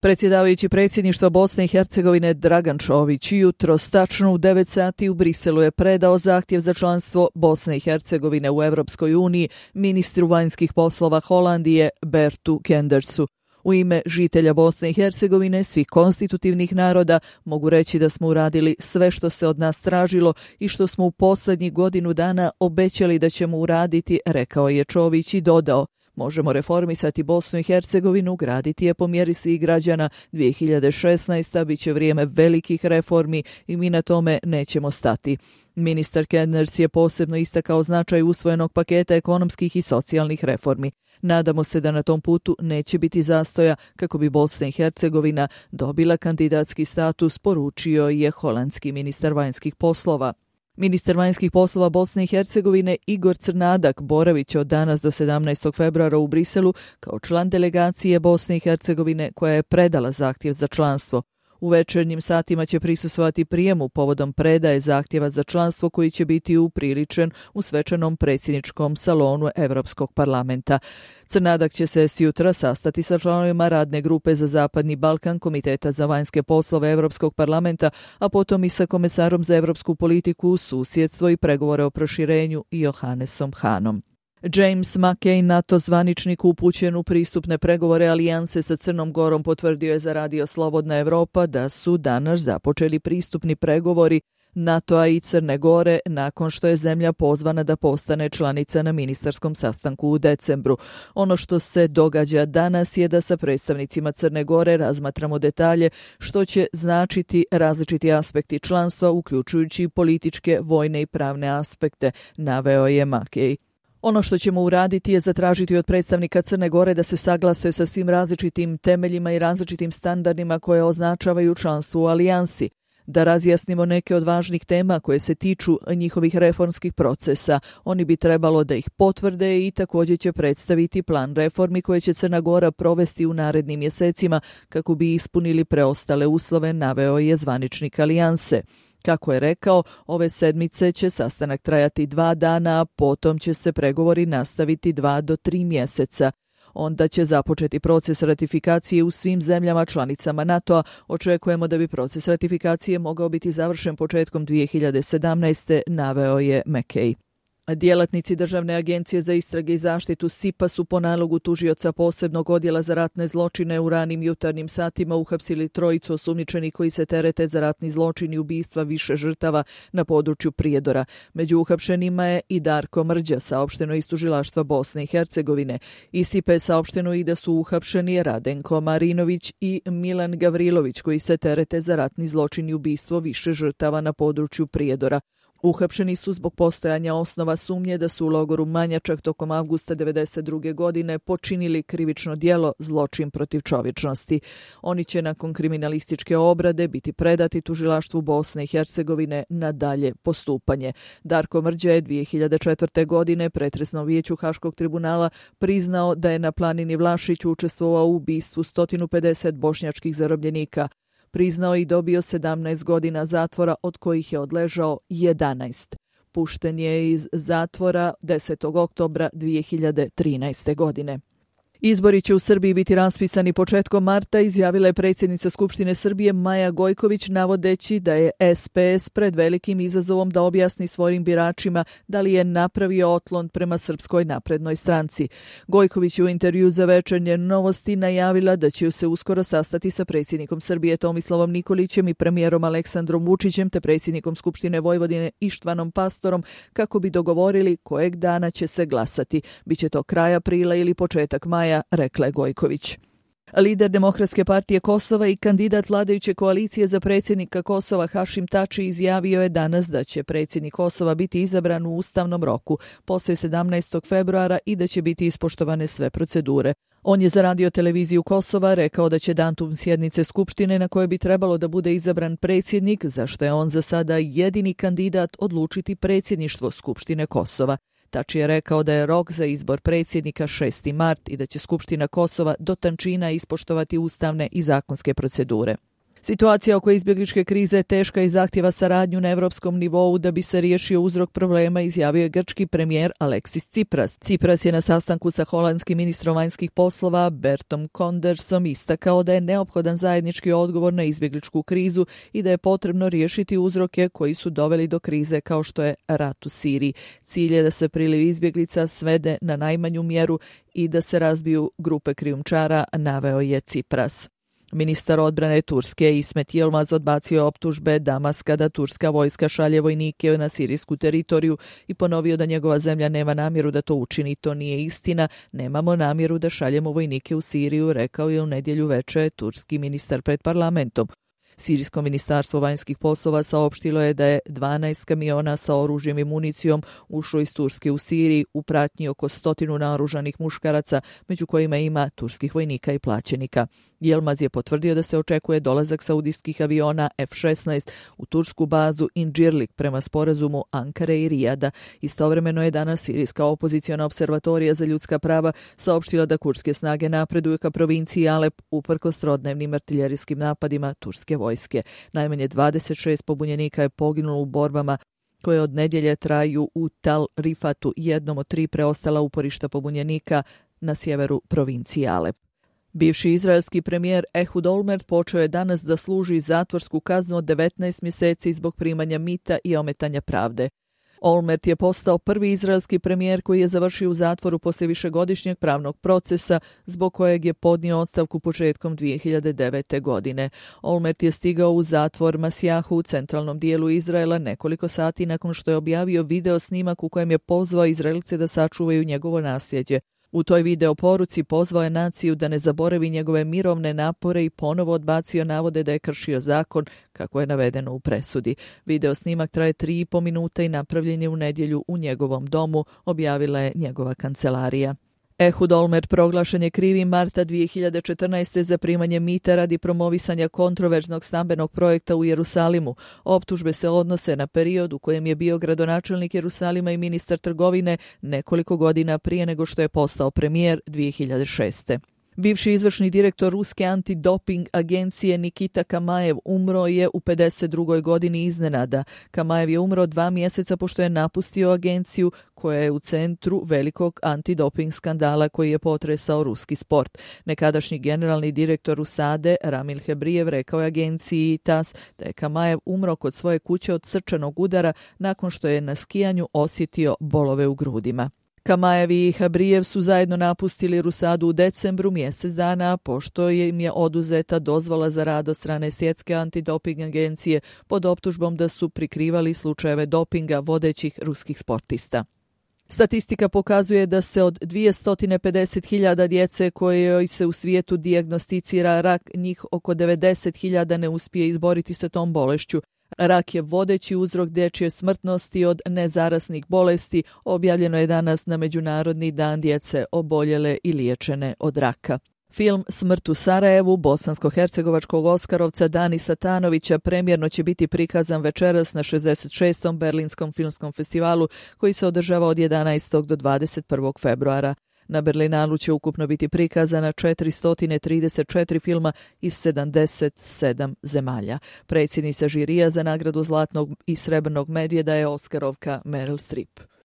Predsjedavajući predsjedništva Bosne i Hercegovine Dragan Čović jutros tačno u 9 sati u Briselu je predao zahtjev za članstvo Bosne i Hercegovine u Europskoj uniji ministru vanjskih poslova Holandije Bertu Kendersu. U ime žitelja Bosne i Hercegovine, svih konstitutivnih naroda, mogu reći da smo uradili sve što se od nas tražilo i što smo u posljednjih godinu dana obećali da ćemo uraditi, rekao je Čović i dodao: možemo reformisati Bosnu i Hercegovinu, graditi je po mjeri svih građana. 2016. bit će vrijeme velikih reformi i mi na tome nećemo stati. Ministar Kenders je posebno istakao značaj usvojenog paketa ekonomskih i socijalnih reformi. Nadamo se da na tom putu neće biti zastoja kako bi Bosna i Hercegovina dobila kandidatski status, poručio je holandski ministar vanjskih poslova. Ministar vanjskih poslova Bosne i Hercegovine Igor Crnadak boravit će od danas do 17. februara u Briselu kao član delegacije Bosne i Hercegovine koja je predala zahtjev za članstvo. U večernjim satima će prisustvovati prijemu povodom predaje zahtjeva za članstvo koji će biti upriličen u svečanom predsjedničkom salonu Europskog parlamenta. Crnadak će se sutra sastati sa članovima radne grupe za Zapadni Balkan Komiteta za vanjske poslove Europskog parlamenta, a potom i sa komesarom za europsku politiku, susjedstvo i pregovore o proširenju Johannesom Hanom. James Mackay, NATO zvaničnik upućen u pristupne pregovore alijanse sa Crnom Gorom, potvrdio je za Radio Slobodna Evropa da su danas započeli pristupni pregovori NATO-a i Crne Gore nakon što je zemlja pozvana da postane članica na ministarskom sastanku u decembru. Ono što se događa danas je da sa predstavnicima Crne Gore razmatramo detalje što će značiti različiti aspekti članstva, uključujući političke, vojne i pravne aspekte, naveo je Mackay. Ono što ćemo uraditi je zatražiti od predstavnika Crne Gore da se saglase sa svim različitim temeljima i različitim standardima koje označavaju članstvo u alijansi, da razjasnimo neke od važnih tema koje se tiču njihovih reformskih procesa. Oni bi trebalo da ih potvrde i također će predstaviti plan reformi koje će Crna Gora provesti u narednim mjesecima kako bi ispunili preostale uslove, naveo je zvaničnik alijanse. Kako je rekao, ove sedmice će sastanak trajati 2 dana, a potom će se pregovori nastaviti 2 do 3 mjeseca. Onda će započeti proces ratifikacije u svim zemljama članicama NATO-a. Očekujemo da bi proces ratifikacije mogao biti završen početkom 2017. naveo je Mackay. Djelatnici Državne agencije za istrage i zaštitu SIPA su po nalogu tužioca posebnog odjela za ratne zločine u ranim jutarnjim satima uhapsili 3 osumnjičenih koji se terete za ratni zločin i ubistva više žrtava na području Prijedora. Među uhapšenima je i Darko Mrđa, saopšteno iz tužilaštva Bosne i Hercegovine. Iz SIPA je saopšteno i da su uhapšeni Radenko Marinović i Milan Gavrilović koji se terete za ratni zločin i ubistvo više žrtava na području Prijedora. Uhapšeni su zbog postojanja osnova sumnje da su u logoru Manjačak tokom avgusta 1992. godine počinili krivično djelo zločin protiv čovječnosti. Oni će nakon kriminalističke obrade biti predati tužilaštvu Bosne i Hercegovine na dalje postupanje. Darko Mrđa je 2004. godine pretresnom vijeću Haškog tribunala priznao da je na planini Vlašić učestvovao u ubistvu 150 bošnjačkih zarobljenika. Priznao i dobio 17 godina zatvora, od kojih je odležao 11. Pušten je iz zatvora 10. oktobra 2013. godine. Izbori će u Srbiji biti raspisani početkom marta, izjavila je predsjednica Skupštine Srbije Maja Gojković, navodeći da je SPS pred velikim izazovom da objasni svojim biračima da li je napravio otklon prema Srpskoj naprednoj stranci. Gojković je u intervju za Večernje novosti najavila da će se uskoro sastati sa predsjednikom Srbije Tomislavom Nikolićem i premijerom Aleksandrom Vučićem te predsjednikom Skupštine Vojvodine Ištvanom Pastorom kako bi dogovorili kojeg dana će se glasati. Biće to kraj aprila ili početak maja, rekla je Gojković. Lider Demokratske partije Kosova i kandidat vladajuće koalicije za predsjednika Kosova Hašim Tači izjavio je danas da će predsjednik Kosova biti izabran u ustavnom roku poslije 17. februara i da će biti ispoštovane sve procedure. On je za Radio televiziju Kosova rekao da će datum sjednice Skupštine na kojoj bi trebalo da bude izabran predsjednik, za što je on za sada jedini kandidat, odlučiti predsjedništvo Skupštine Kosova. Tači je rekao da je rok za izbor predsjednika 6. mart i da će Skupština Kosova do tančina ispoštovati ustavne i zakonske procedure. Situacija oko izbjegličke krize je teška i zahtjeva saradnju na europskom nivou da bi se riješio uzrok problema, izjavio je grčki premijer Aleksis Tsipras. Tsipras je na sastanku sa holandskim ministrom vanjskih poslova Bertom Kondersom istakao da je neophodan zajednički odgovor na izbjegličku krizu i da je potrebno riješiti uzroke koji su doveli do krize kao što je rat u Siriji. Cilj je da se priliv izbjeglica svede na najmanju mjeru i da se razbiju grupe krijumčara, naveo je Tsipras. Ministar odbrane Turske Ismet Yilmaz odbacio optužbe Damaska da turska vojska šalje vojnike na sirijsku teritoriju i ponovio da njegova zemlja nema namjeru da to učini. To nije istina, nemamo namjeru da šaljemo vojnike u Siriju, rekao je u nedjelju veče turski ministar pred parlamentom. Sirijsko ministarstvo vanjskih poslova saopštilo je da je 12 kamiona sa oružjem i municijom ušlo iz Turske u Siriji u pratnji oko 100 naoružanih muškaraca, među kojima ima turskih vojnika i plaćenika. Yilmaz je potvrdio da se očekuje dolazak saudijskih aviona F-16 u tursku bazu Incirlik prema sporazumu Ankare i Rijada. Istovremeno je danas sirijska opoziciona observatorija za ljudska prava saopštila da kurdske snage napreduju ka provinciji Alep uprkos trodnevnim artiljerijskim napadima turske vojske. Najmanje 26 pobunjenika je poginulo u borbama koje od nedjelje traju u Tal Rifatu, jednom od 3 preostala uporišta pobunjenika na sjeveru provincije Alep. Bivši izraelski premijer Ehud Olmert počeo je danas da služi zatvorsku kaznu od 19 mjeseci zbog primanja mita i ometanja pravde. Olmert je postao prvi izraelski premijer koji je završio u zatvoru poslije višegodišnjeg pravnog procesa zbog kojeg je podnio ostavku početkom 2009. godine. Olmert je stigao u zatvor Masjahu u centralnom dijelu Izraela nekoliko sati nakon što je objavio video snimak u kojem je pozvao Izraelce da sačuvaju njegovo nasljeđe. U toj video poruci pozvao je naciju da ne zaboravi njegove mirovne napore i ponovo odbacio navode da je kršio zakon, kako je navedeno u presudi. Video snimak traje 3,5 minuta i napravljen je u nedjelju u njegovom domu, objavila je njegova kancelarija. Ehud Olmert proglašen je krivim marta 2014. za primanje mita radi promovisanja kontroverznog stambenog projekta u Jerusalimu. Optužbe se odnose na period u kojem je bio gradonačelnik Jerusalima i ministar trgovine nekoliko godina prije nego što je postao premijer 2006. Bivši izvršni direktor ruske antidoping agencije Nikita Kamajev umro je u 52. godini iznenada. Kamajev je umro 2 mjeseca pošto je napustio agenciju koja je u centru velikog antidoping skandala koji je potresao ruski sport. Nekadašnji generalni direktor USADE Ramil Hebrijev rekao je agenciji TAS da je Kamajev umro kod svoje kuće od srčanog udara nakon što je na skijanju osjetio bolove u grudima. Kamajev i Habrijev su zajedno napustili Rusadu u decembru, mjesec dana pošto im je oduzeta dozvola za rad od strane Svjetske antidoping agencije pod optužbom da su prikrivali slučajeve dopinga vodećih ruskih sportista. Statistika pokazuje da se od 250.000 djece kojoj se u svijetu dijagnosticira rak, njih oko 90.000 ne uspije izboriti sa tom bolešću. Rak je vodeći uzrok dječje smrtnosti od nezarasnih bolesti, objavljeno je danas na Međunarodni dan djece oboljele i liječene od raka. Film Smrt u Sarajevu bosansko-hercegovačkog oskarovca Danisa Tanovića premjerno će biti prikazan večeras na 66. Berlinskom filmskom festivalu koji se održava od 11. do 21. februara. Na Berlinalu će ukupno biti prikazana 434 filma iz 77 zemalja. Predsjednica žirija za nagradu Zlatnog i Srebrnog medvjeda je Oskarovka Meryl Streep.